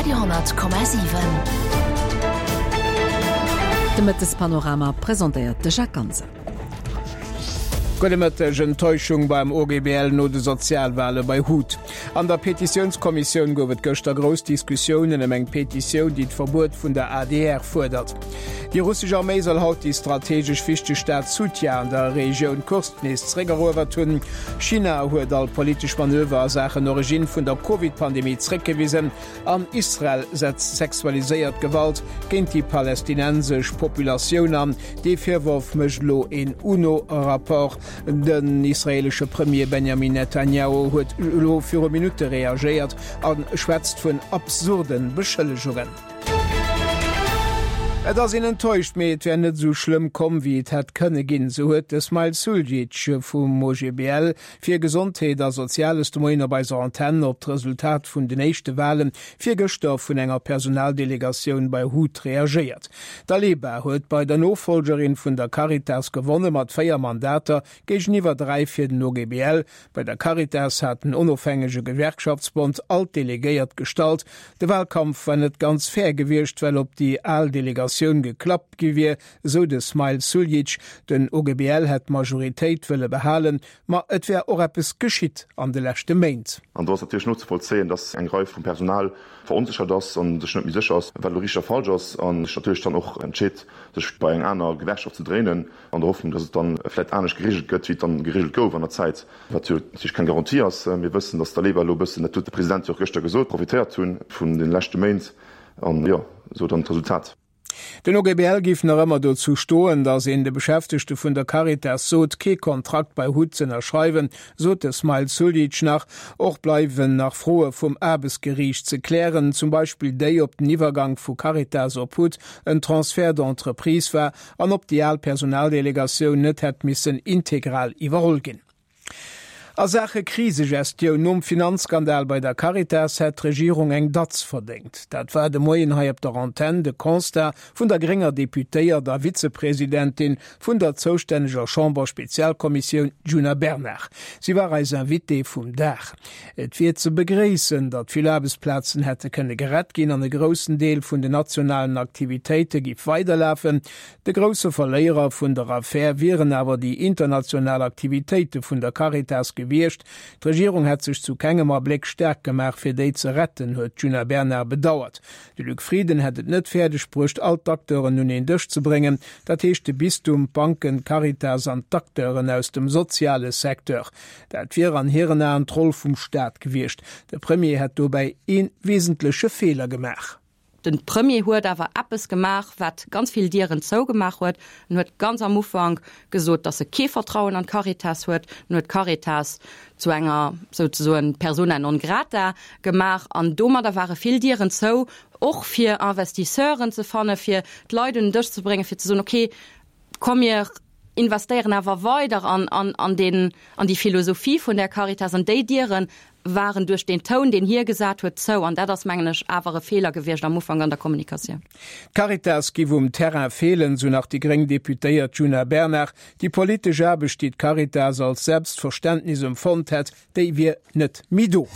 Radio 10,7. De Mëttespanorama presentéiert de Jacques Ganser. Gudde Mëtteg, Enttäuschung beim OGBL no de Sozialwale bei hut. An der Petitiounskommissioun gouf et gëschter grouss Diskussiounen ëm eng Petitioun, déi d'Verbuet vun der adr fuerdert. Déi russesch Arméi soll haut déi strategesch wichteg Stad Sutja an der Regioun Kursk nees zeréckeruewert hunn. China huet all politesch Manöver a Saachen Originn vun der Covid-Pandemie zeréckgewisen an Israel setzt sexualiséiert Gewalt géint déi palästinensesch Populatioun an. Dee Virworf mécht elo een UNO-Rapport. Den israeelesche Premier Benjamin Netanjahu huet elo viru Minutte reagéiert a schwätzt vun absurde Beschëllegungen. Et ass een enttäuscht, mee et wär net esou schlëmm komm, wéi et hätt kënne ginn, sou huet de Smail Suljic vum OGBL fir Gesondheet a Soziales de Moien op eiser Antenn op d'Resultat vun den éischte Wale virgëschter vun enger Personaldelegatioun bei hut reagéiert. D'Aleba huet bei der Nofollgerin vun der Caritas gewonne mat 4 Mandater géigeniwwer 3 fir den OGBL. Bei der Caritas hat den onofhängege Gewerkschaftsbond all d'Delegéiert gestallt. De Walkampf war net ganz fair gewiescht, well op déi al Delegatioun geklappt gi wier, esou de Smail Suljic. Den OGBL hätt d'Majoritéit wëlle behalen, ma et wär och eppes geschitt an de leschte Méint. An do ass natierlech nozevollzéien, dass eng Rei vum Personal veronséchert ass a sech net méi sécher ass, wat elo richteg a falsch ass, a sech natierlech dann och entscheet, sech bei eng aner Gewerkschaft ze dréinen, an der Hoffnung, dass et dann vläicht anescht geregelt gëtt, wéi et dann geregelt gouf an der Zäit, wat jo natierlech keng Garantie ass. Mir wëssen, dass d'Aleba elo e bëssen, dat huet de President jo och gëschter gesot, profitéiert hu vun de leschte Méint an, jo, esou dann d'Resultat. Den OGBL géif nach ëmmer dozou stoen, datt een de Beschäftegte vun der Caritas sot, kee Kontrakt bei hut z'ënnerschreiwen, sot de Smail Suljic nach. Och bleiwen nach Froe vum Aarbechtsgeriicht ze klären, zum Beispill déi, ob den Iwwergank vu Caritas op hut en Transfert d'entreprise war an ob déi al Personaldelegatioun net hätt missen integral iwwerholl ginn. A Saache Krisegestioun nom Finanzskandal bei der Caritas hätt d'Regierung eng Datz verdéngt. Dat war de Moien hei op der Antenn de Constat vun der grénger Deputéiert a Vizepresidentin vun der zoustänneger Chamber-Spezialkommissioun Djuna Bernard. Si war eis Invitée vum Dag. Et wier ze begréissen, datt vill Aarbechtsplazen hätte kënne gerett ginn an e groussen Deel vun den nationalen Aktivitéite giff weiderlafen. De grousse Verléierer vun der Affär wieren awer déi international Aktivitéite vun der Caritas gewiescht. D'Regierung hätt sech zu kengem Abléck staark gemaach, fir déi ze retten, huet d'Djuna Bernard bedauert. De Luc Frieden hätt et net fäerdeg bruecht, all d'Acteuren un een Dësch ze bréngen, dat heescht de Bistum, d'Banken, d'Caritas an d'Acteuren aus dem soziale Secteur. Dat wier an hiren Aen d'Roll vum Staat gewiescht. De Premier hätt dobäi ee wesentleche Feeler gemaach. De Premier huet awer eppes gemaach, wat ganz vill Dieren zougemaach huet. En huet ganz am Ufank gesot, datt e kee Vertrauen an d'Caritas huet. En huet d'Caritas zu enger souzesoen Persona non grata gemaach an domadder ware vill Dieren zou, och fir Investisseuren ze fannen, fir d'Leit un den Dësch ze bréngen, fir ze soen, okay, komm mir investéieren awer weider an, an, an deen, an déi Philosophie vun där Caritas. An déi Diere waren duerch deen Toun, deen hie gesat huet, zou. An dat ass, mengen ech, awer e Feeler gewiescht am Ufank an der Kommunikatioun. D'Caritas giff um Terrain feelen, sou nach déi gréng Deputéiert Djuna Bernard. Déi politesch Aarbecht, déi d'Caritas als Selbstverständnis emfonnt hätt, déi wier net méi do.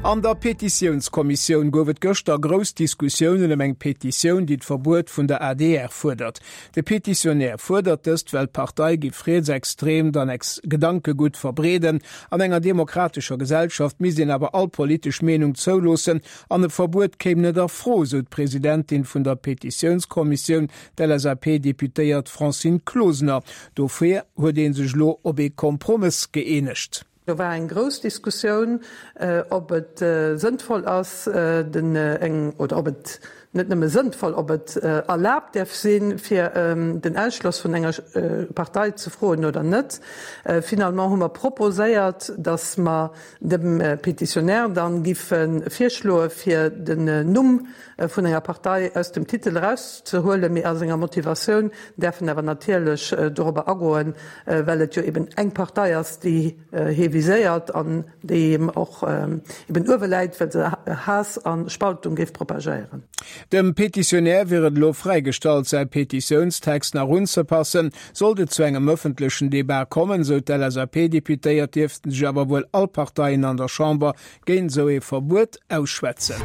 An der Petitiounskommissioun gouf et gëschter grouss Diskussiounen ëm eng Petitioun, déi d'Verbuet vun der adr fuerdert. De Petitionär fuerdert dëst, well d'Partei giff rietsextreemt an ex Gedankegutt verbreeden. An enger demokratescher Gesellschaft misst een awer all politesch Meenung zouloossen an e Verbuet kéim net a Fro, sou d'Presidentin vun der Petitiounskommissioun, d'LSAP-Deputéiert Francine Closener. Dofir huet ee sech elo op ee Kompromëss gëeenegt. Do war eng grouss Diskussioun, ob et sënnvoll ass, den eng, oder ob et net nëmme sënnvoll, ob et erlaabt däerf sinn, fir den Ausschloss vun enger Partei ze froen oder net. Finalement hu mer proposéiert, datt mer dem Pétitionnaire dann giffe virschloe fir den Numm vun enger Partei aus dem Titel erauszehuelen, mee a senger Motivatioun däerf en awer natierlech dorobber agoen, well et jo eben eng Partei ass, déi hie viséiert an déi him och eben uewe läit, well se Haass a Spaltung géif propagéieren. Dem Petitionär wier et elo fräigestallt, säi Petitiounstext nach unzepassen. Sollt et zu engem ëffentlechen Debat kommen, sou d'LSAP-Deputéiert, dierften sech awer wuel all Parteien an der Chamber géint esou ee Verbuet ausschwätzen.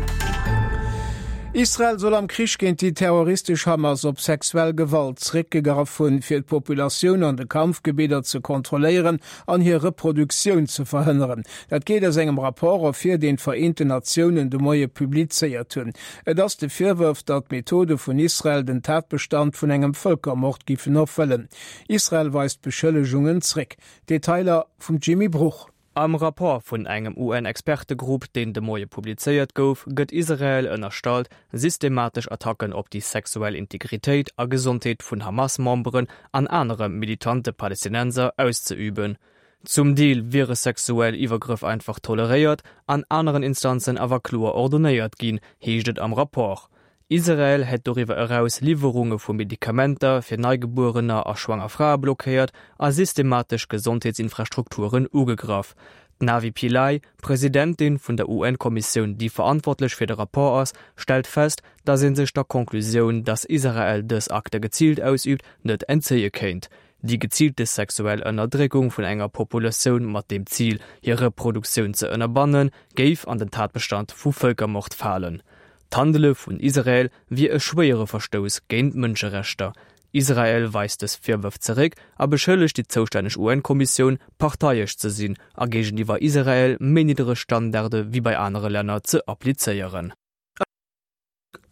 Israel soll am Krich géint déi terroristesch Hamas op sexuell Gewalt zeréckgegraff hunn, fir d'Populatioun an de Kampfgebidder ze kontrolléieren an hir Reproduktioun ze verhënneren. Dat geet aus engem Rapport ervir, deen d'Vereenten Natiounen de Moie publizéiert hunn. Et ass de Virwërf, datt d'Methode vun Israel den Tatbestand vun engem Vëlkermord giffen erfëllen. Israel weist d'Beschëllegungen zréck. Detailer vum Jimmy Bruch. Am Rapport vun engem UN-Expertegrupp, deen de Moie publizéiert gouf, gëtt Israel ënnerstallt, systematesch Attacken op déi sexuell Integritéit a Gesondheet vun Hamas-Memberen an anere militante Palestinenser auszeüben. Zum Deel wiere sexuell Iwwergrëff einfach toleréiert, an aneren Instanzen awer kloer ordonéiert ginn, heescht et am Rapport. Israel hätt doriwwer eraus Liwwerunge vu Medikamenter fir Neigebuerener a schwanger Frae blockéiert a systematesch Gesondheetsinfrastrukturen ugegraff. D'Navi Pillay, Presidentin vun der UN-Kommissioun, déi verantwortlech fir de Rapport ass, stellt fest, datt ee sech der Conclusioun, datt Israel dës Akte geziilt ausüübt, net entzéie kéint. Déi geziilte sexuell Ënnerdréckung vun enger Populatioun mat dem Zil, hir Reproduktioun ze ënnerbannen, géif an den Tatbestand vu Vëlkermord falen. D'Handele vun Israel wier e schwéiere Verstouss géint d'Mënscherechter. Israel weist dës Virwërf zeréck a beschëllegt déi zoustänneg UN-Kommissioun, parteiesch ze sinn a géigeniwwer Israel méi niddereg Standarde wéi bei anere Länner ze applizéieren.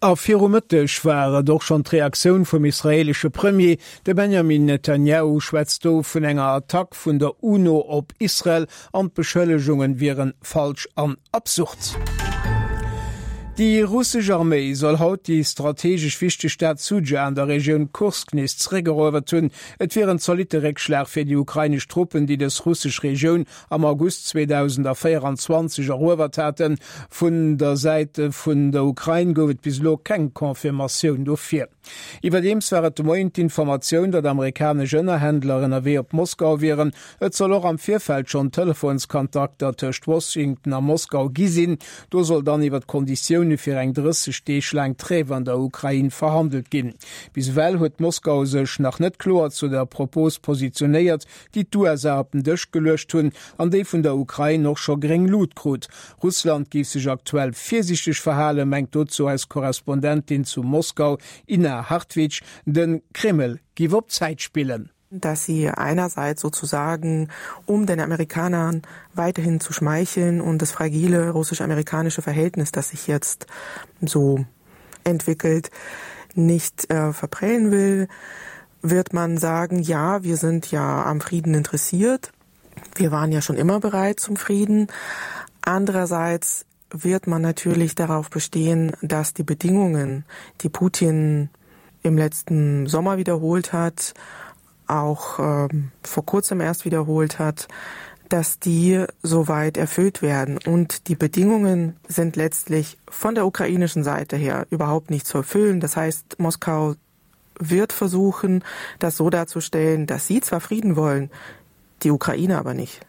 A viru Mëtteg war et och schonn d'Reaktioun vum israeelesche Premier. De Benjamin Netanjahu schwätzt do vun enger Attack vun der UNO op Israel an d'Beschëllegungen wieren falsch an absurd. Déi russesch Arméi soll haut déi strategesch wichteg Stad Sudscha an der Regioun Kursk nees zeréckeruewert hunn. Et wier en zolitte Réckschlag fir déi ukrainesch Truppen, déi dës russesch Regioun am August 2024 eruewert haten. Vun der Säit vun der Ukrain gouf et bis elo keng Confirmatioun dofir. Iwwerdeems war et de Moien d'Informatioun, datt amerikanesch Ënnerhändler ënnerwee op Moskau wieren. Et soll och am Virfeld schonn Telefonskontakter tëscht Washington a Moskau gi sinn. Do soll dann iwwer d'Konditioune fir eng 30 Deeg laang Trêve an der Ukrain verhandelt ginn. Bis ewell huet Moskau sech nach net kloer zu der Propos positionéiert, déi d'USA op den Dësch geluecht hunn an déi vun der Ukrain och scho gréng Lut krut. Russland géif sech aktuell virsiichteg verhalen, mengt dozou eis Korrespondentin zu Moskau, Inna Hartwig. De Kreml géif op Zäit spillen. Dass sie einerseits sozusagen, um den Amerikanern weiterhin zu schmeicheln und das fragile russisch-amerikanische Verhältnis, das sich jetzt so entwickelt, nicht äh, verprellen will, wird man sagen, ja, wir sind ja am Frieden interessiert. Wir waren ja schon immer bereit zum Frieden. Andererseits wird man natürlich darauf bestehen, dass die Bedingungen, die Putin im letzten Sommer wiederholt hat, auch ähm, vor kurzem erst wiederholt hat, dass die soweit erfüllt werden. Und die Bedingungen sind letztlich von der ukrainischen Seite her überhaupt nicht zu erfüllen. Das heißt, Moskau wird versuchen, das so darzustellen, dass sie zwar Frieden wollen, die Ukraine aber nicht.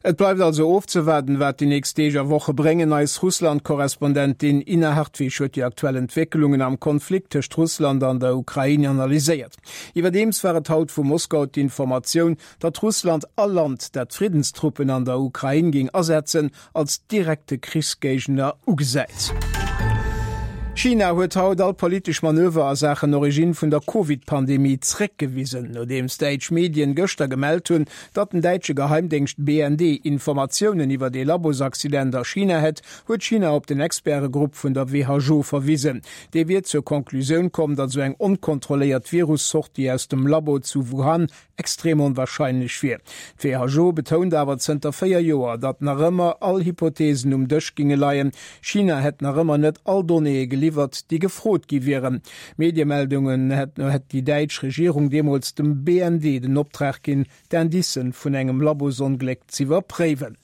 Et bleift also ofzewaarden, wat déi nächst Deeg a Woche bréngen. Eis Russland-Korrespondentin Ina Hartwig huet déi aktuell Entwécklungen am Konflikt tëscht Russland an der Ukrain analyséiert. Iwwerdeems war et haut vu Moskau d'Informatioun, datt Russland all Land, dat Friddenstruppen an der Ukrain géing asetzen, als direkte Krichsgéigner ugesäit. China huet haut all politesch Manöver a Saachen Originn vun der Covid-Pandemie zréckgewisen, nodeems däitsch Medien gëschter gemellt hunn, datt den däitsche Geheimdéngscht BND Informatiounen iwwert ee Labosaccident a China hätt, huet China op den Expertegrupp vun der WHO verwisen. Dee wier zur Conclusioun komm, datt esou eng onkontrolléiert Virus-Sortie aus dem Labo zu Wuhan extrem onwahrscheinlech wier. D'WHO betount awer zënter 4 Joer, datt nach ëmmer all Hypotheesen um Dësch ginge leien. China hätt nach ëmmer net all Donnéeë geliwwert, déi gefrot gi wieren. Mediemeldungen no hätt déi däitsch Regierung deemools dem BND den Optrag ginn, d'Indicen vun engem Labosongléck z'iwwerpréiwen.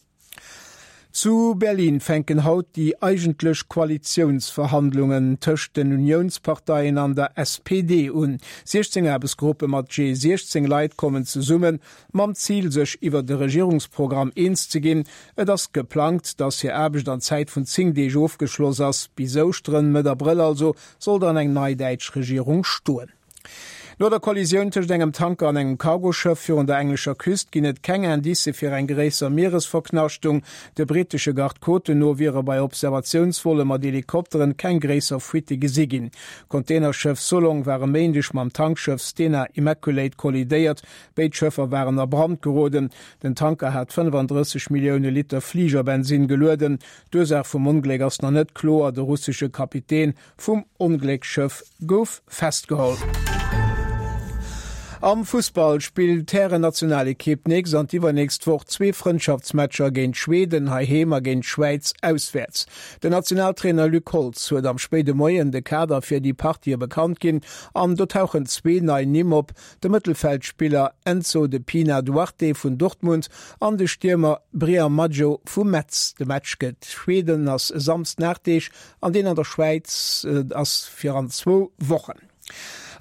Zu Berlin fänken haut déi eigentlech Koalitiounsverhandlungen tëscht den Uniounsparteien an der SPD un. 16 Aarbechtsgruppe mat jee 16 Leit kommen zesummen, mam Zil sech iwwert e Regierungsprogramm eens ze ginn. Et ass geplangt, datt hir Aarbecht an Zäit vun 10 Deeg ofgeschloss ass. Bis Ouschteren, Mëtt Abrëll also, soll dann eng nei däitsch Regierung stoen. No der Kollisioun tëscht engem Tanker an engem Cargoschëff virun der englescher Küst ginn et keng Indicë fir eng gréisser Mieresverknaschtung. De brittesche Garde-côten no wiere bei Observatiounsvolle mat Helikopteren keng gréisser Fuitte gesi ginn. D'Containerschëff Solong war e Méindeg mam Tankschëff Stena Immaculate kollidéiert. Béid Schëffer waren a Brand geroden. Den Tanker hat 35 Millioune Liter Fligerbensinn gelueden. D'Ursaach vum Ongléck ass nach net kloer. De russesche Kapitän vum Onglécksschëff gouf festgeholl. Am Fussball spillt d'Hären-Nationalekipp d'nächst an d'iwwernächst Woch zwee Frëndschaftsmatcher géint Schweden heiheem a géint d'Schwäiz auswäerts. Den Nationaltrainer Luc Holtz huet am spéide Moien de Kader fir déi Partië bekannt ginn an do tauchen zwee nei Nimm op, de Mëttelfeldspiller Enzo de Pina Duarte vun Dortmund an de Stiermer Brian Madjo vu Metz. De Match géint Schweden ass e Samsden 8 Deeg an deen an der Schwäiz ass fir an zwou Wochen.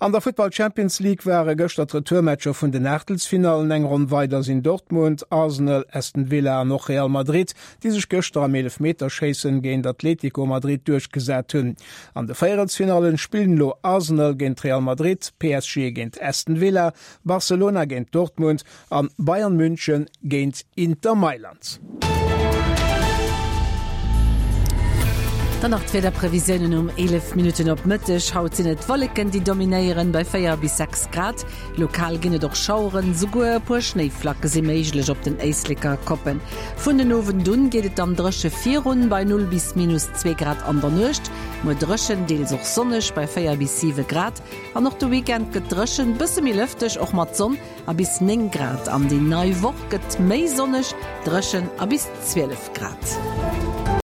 An der Futtball Champions League ware gëschter d'Retourmatcher vun den Aachtelsfinallen. Eng Ronn weider sinn Dortmund, Arsenal, Aston Villa an och Real Madrid, déi sech gëschter am Eelefmeterschéissen géint Atlético Madrid duerchgesat hunn. An de Véierelsfinallen spillen elo Arsenal géint Real Madrid, PSG géint Aston Villa, Barcelona géint Dortmund an Bayern München géint Inter Mailand. Dann nach d'Wiederprevisiounen um 11 Minutten op Mëtteg. Haut sinn et d'Wolleken, déi dominéieren, bei 4 bis 6 Grad. Lokal ginn et och Schaueren, souguer e puer Schnéiflacke si méiglech op den Éisleker Koppen. Vun den Owend un geet et dann dréche virun, bei 0 bis minus 2 Grad an der Nuecht. Muer dréchen, deels och sonneg bei 4 bis 7 Grad. An och de Weekend gëtt dréchen, bësse méi lëfteg, och mat Sonn a bis 9 Grad. An déi nei Woch gëtt méi sonneg, dréchen a bis 12 Grad.